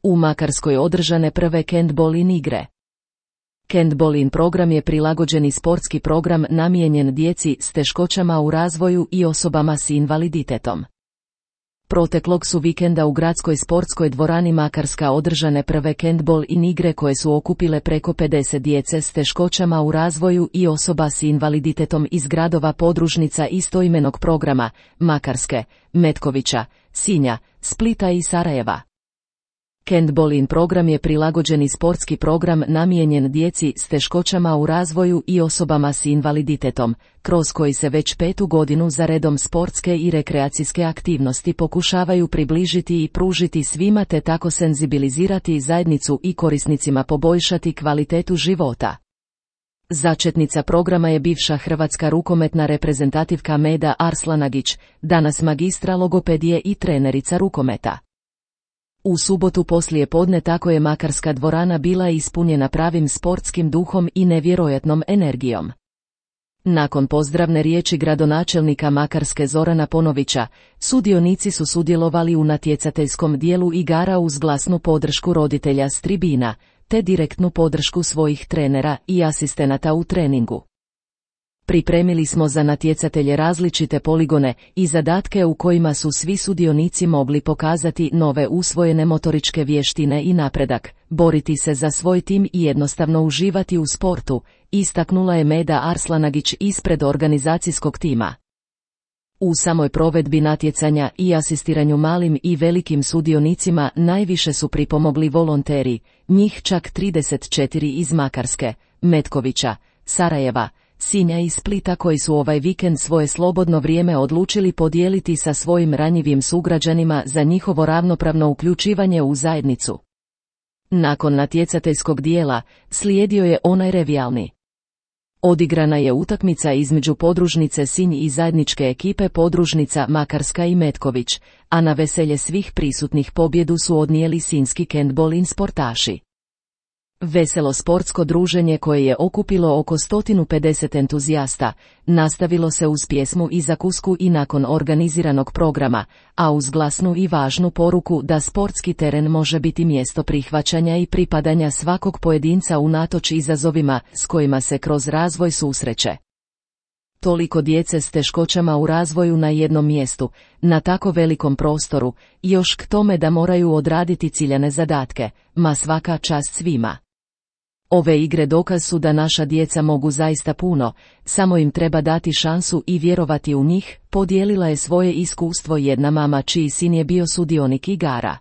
U Makarskoj održane prve Kentbolin igre. Kentbolin program je prilagođeni sportski program namijenjen djeci s teškoćama u razvoju i osobama s invaliditetom. Proteklog su vikenda u gradskoj sportskoj dvorani Makarska održane prve Kentbolin igre koje su okupile preko 50 djece s teškoćama u razvoju i osoba s invaliditetom iz gradova podružnica istoimenog programa, Makarske, Metkovića, Sinja, Splita i Sarajeva. Kentbolin program je prilagođeni sportski program namijenjen djeci s teškoćama u razvoju i osobama s invaliditetom, kroz koji se već 5. godinu za redom sportske i rekreacijske aktivnosti pokušavaju približiti i pružiti svima te tako senzibilizirati zajednicu i korisnicima poboljšati kvalitetu života. Začetnica programa je bivša hrvatska rukometna reprezentativka Meda Arslanagić, danas magistra logopedije i trenerica rukometa. U subotu poslije podne tako je Makarska dvorana bila ispunjena pravim sportskim duhom i nevjerojatnom energijom. Nakon pozdravne riječi gradonačelnika Makarske Zorana Ponovića, sudionici su sudjelovali u natjecateljskom dijelu igara uz glasnu podršku roditelja s tribina, te direktnu podršku svojih trenera i asistenata u treningu. Pripremili smo za natjecatelje različite poligone i zadatke u kojima su svi sudionici mogli pokazati nove usvojene motoričke vještine i napredak, boriti se za svoj tim i jednostavno uživati u sportu, istaknula je Meda Arslanagić ispred organizacijskog tima. U samoj provedbi natjecanja i asistiranju malim i velikim sudionicima najviše su pripomogli volonteri, njih čak 34 iz Makarske, Metkovića, Sarajeva, Sinja i Splita koji su ovaj vikend svoje slobodno vrijeme odlučili podijeliti sa svojim ranjivim sugrađanima za njihovo ravnopravno uključivanje u zajednicu. Nakon natjecateljskog dijela, slijedio je onaj revijalni. Odigrana je utakmica između podružnice Sinj i zajedničke ekipe podružnica Makarska i Metković, a na veselje svih prisutnih pobjedu su odnijeli sinjski Kentbolin sportaši. Veselo sportsko druženje koje je okupilo oko 150 entuzijasta, nastavilo se uz pjesmu i zakusku i nakon organiziranog programa, a uz glasnu i važnu poruku da sportski teren može biti mjesto prihvaćanja i pripadanja svakog pojedinca unatoč izazovima s kojima se kroz razvoj susreće. Toliko djece s teškoćama u razvoju na jednom mjestu, na tako velikom prostoru, još k tome da moraju odraditi ciljane zadatke, ma svaka čast svima. Ove igre dokaz su da naša djeca mogu zaista puno, samo im treba dati šansu i vjerovati u njih, podijelila je svoje iskustvo jedna mama čiji sin je bio sudionik igara.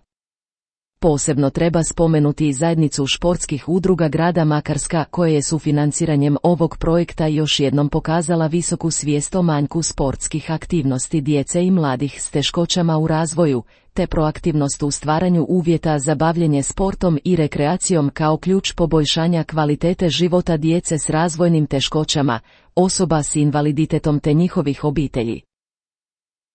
Posebno treba spomenuti i zajednicu športskih udruga grada Makarska koje je sufinanciranjem ovog projekta još jednom pokazala visoku svijest o manjku sportskih aktivnosti djece i mladih s teškoćama u razvoju, te proaktivnost u stvaranju uvjeta za bavljenje sportom i rekreacijom kao ključ poboljšanja kvalitete života djece s razvojnim teškoćama, osoba s invaliditetom te njihovih obitelji.